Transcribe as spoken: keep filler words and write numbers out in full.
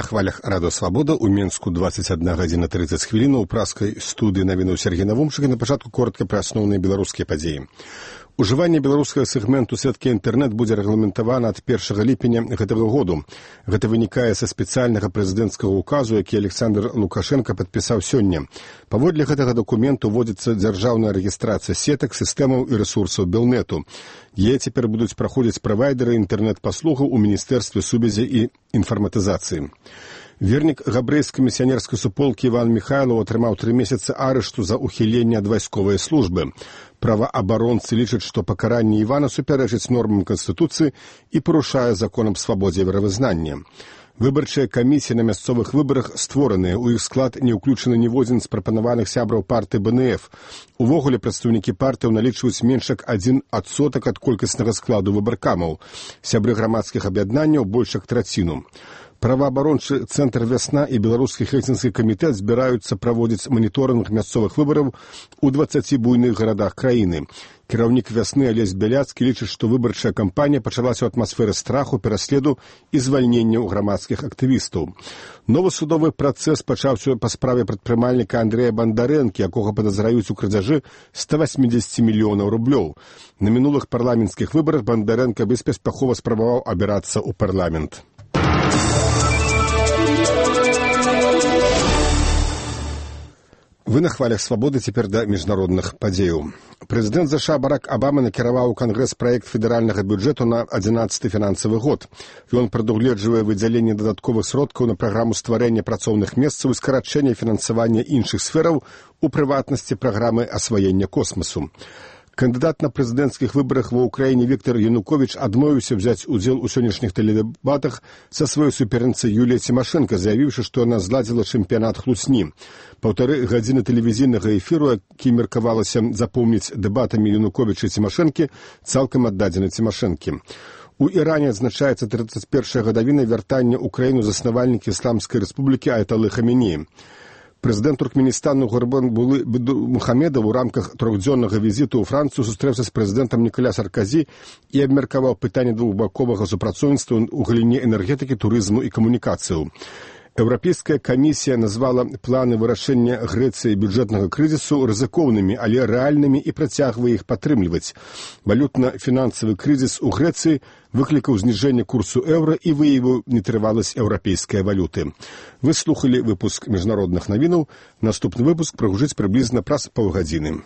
На хвалях Радио Свобода у Менску двадцать одна гадзіна тридцать хвілін у праскай студыі навіну Сергей Навумчык, і на пачатку коротка пра асноўныя беларускія падзеі. Ужыванне беларускага сегменту сеткі інтэрнэт будзе рэгламентавана ад першага ліпеня гэтага году. Гэта вынікае са спецыяльнага прэзідэнцкага указу, які Александр Лукашенко падпісаў сёння. Паводле гэтага дакументу вводзіцца дзяржаўная рэгістрацыя сетак, сістэмаў і рэсурсаў Белнету. Яе цяпер будуць праходзіць правайдеры інтэрнэт-паслугаў у Міністэрстве сувязі і інфарматызацыі. Вернік габрэйскай місіянерскай суполкі Іван Міхайлаў атрымаў тры месяцы арышту за ухіленне ад вайсковай службы. Праваабаронцы лічаць, што пакаранне Івана супярэчыць нормам Канстытуцыі і парушае закон аб свабодзе веравызнання. Выбарчыя камісіі на мясцовых выбарах створаныя, у іх склад не ўключаны ніводзін з прапанаваных сябраў партыі бэ эн эф. Увогуле прадстаўнікі партыяў налічваюць менш як адзін адсотак ад колькаснага складу выбаркамаў. Сябры грамадскіх аб'яднанняў больш як траціну. Праваабарончы цэнтр «Вясна» і беларускі хельсінскі камітэт збіраюцца праводзіць маніторынг мясцовых выбараў у дваццаці буйных гарадах краіны. Кіраўнік «Вясны» Алесь Бяляцкі лічыць, што выбарчая кампанія пачалася ў атмасферы страху, пераследу і звальнення ў грамадскіх актывістаў. Новы судовы працэс пачаўся па справе прадпрымальніка Андрэя Бандарэнкі, якога падазраюць у крадзяжы ста васьмідзесяці мільёнаў рублёў. На мінулых парламенцкіх выбарах Бандарэнка беспаспяхова спрабаваў абірацца ў парламент. Вы на хвалях свабоды, цяпер да міжнародных падзеяў. Прэзідэнт ЗША Барак Абама накіраваў у Кангрэс праект федэральнага бюджэту на адзінаццаты фінансавы год. Ён прадугледжвае выдзяленне дадатковых сродкаў на праграму стварэння працоўных месцаў і скарачэння фінансавання іншых сфераў, у прыватнасці праграмы асваення космасу. Кандыдат на прэзідэнцкіх выбарах ва ўкраіне Віктор Януковіч адмовіўся взяць удзел у сённяшніх тэледэбатах са сваёй суперніцай Юліяй Цімашэнка, заявіўшы, што яна зладзіла чэмпіянат хлусні. Паўтары гадзіны тэлевізійнага эфіру, які меркавалася запомніць дэбатамі Януковіча і Цімашэнкі, цалкам аддадзены Цімашэнкі. У Іране адзначаецца трыццаць першая гадавіна вяртання ў краіну заснавальнікі Ісламскай рэспублікі Аяталы Хаменеі. Прэзідэнт Туркменістану Гурбанғулы Мухамедов у рамках трохдзённага візіту ў Францыю сустрэўся з прэзідэнтам Ніколя Сарказі і абмеркаваў пытанне двухбаковага супрацоўніцтва ў галіне энергетыкі, турызму і камунікацыяў. Еўрапейская камісія назвала планы вырашэння Грэцыі бюджэтнага крызісу рызыкоўнымі, але рэальнымі і працягвае іх падтрымліваць. Валютна-фінансавы крызіс у Грэцыі выклікаў зніжэнне курсу еўра і выявіў нетрываласць еўрапейскай валюты. Вы слухалі выпуск міжнародных навінаў. Наступны выпуск прагучыць прыблізна праз паўгадзіны.